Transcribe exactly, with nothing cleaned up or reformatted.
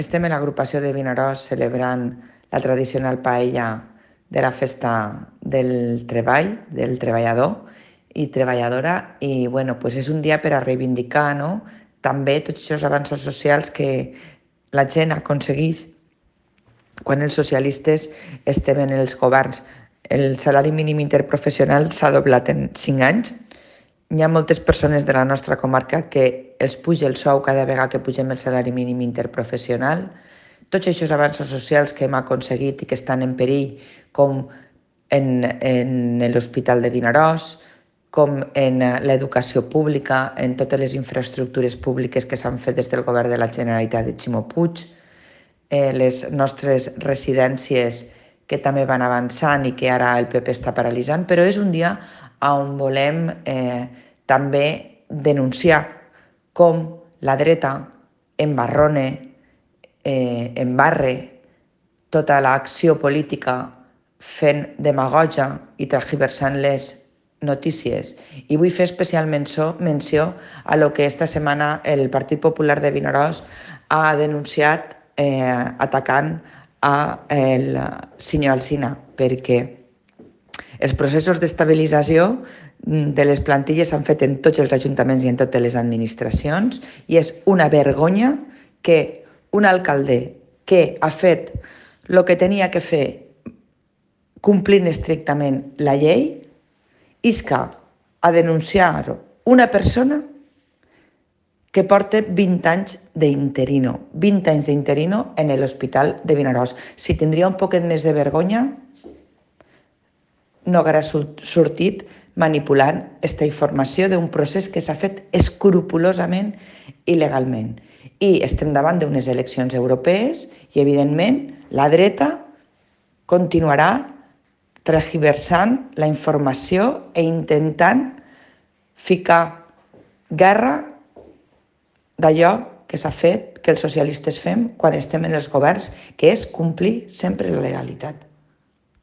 Estem en l'agrupació de Vinaròs celebrant la tradicional paella de la festa del treball, del treballador i treballadora, i bueno, pues és un dia per a reivindicar, no?, també tots aquests avanços socials que la gent aconsegueix quan els socialistes estem en els governs. El salari mínim interprofessional s'ha doblat en cinc anys. Hi ha moltes persones de la nostra comarca que els puja el sou cada vegada que pugem el salari mínim interprofessional. Tots aquests avanços socials que hem aconseguit i que estan en perill, com en, en l'Hospital de Vinaròs, com en l'educació pública, en totes les infraestructures públiques que s'han fet des del govern de la Generalitat de Ximo Puig, eh, les nostres residències que també van avançant i que ara el P P està paralitzant, però és un dia on volem eh, també denunciar com la dreta embarrone, eh, embarre tota l'acció política fent demagogia i tergiversant les notícies. I vull fer especial menció, menció a lo que esta setmana el Partit Popular de Vinaròs ha denunciat eh, atacant a el senyor Alsina, perquè els processos d'estabilització de les plantilles s'han fet en tots els ajuntaments i en totes les administracions, i és una vergonya que un alcalde que ha fet el que tenia que fer complint estrictament la llei isca a denunciar una persona que porta vint anys d'interino, vint anys d'interino en l'Hospital de Vinaròs. Si tindria un poquet més de vergonya, no haguera sortit manipulant aquesta informació d'un procés que s'ha fet escrupolosament i legalment. I estem davant d'unes eleccions europees i, evidentment, la dreta continuarà tergiversant la informació e intentant ficar guerra d'allò que s'ha fet, que els socialistes fem quan estem en els governs, que és complir sempre la legalitat.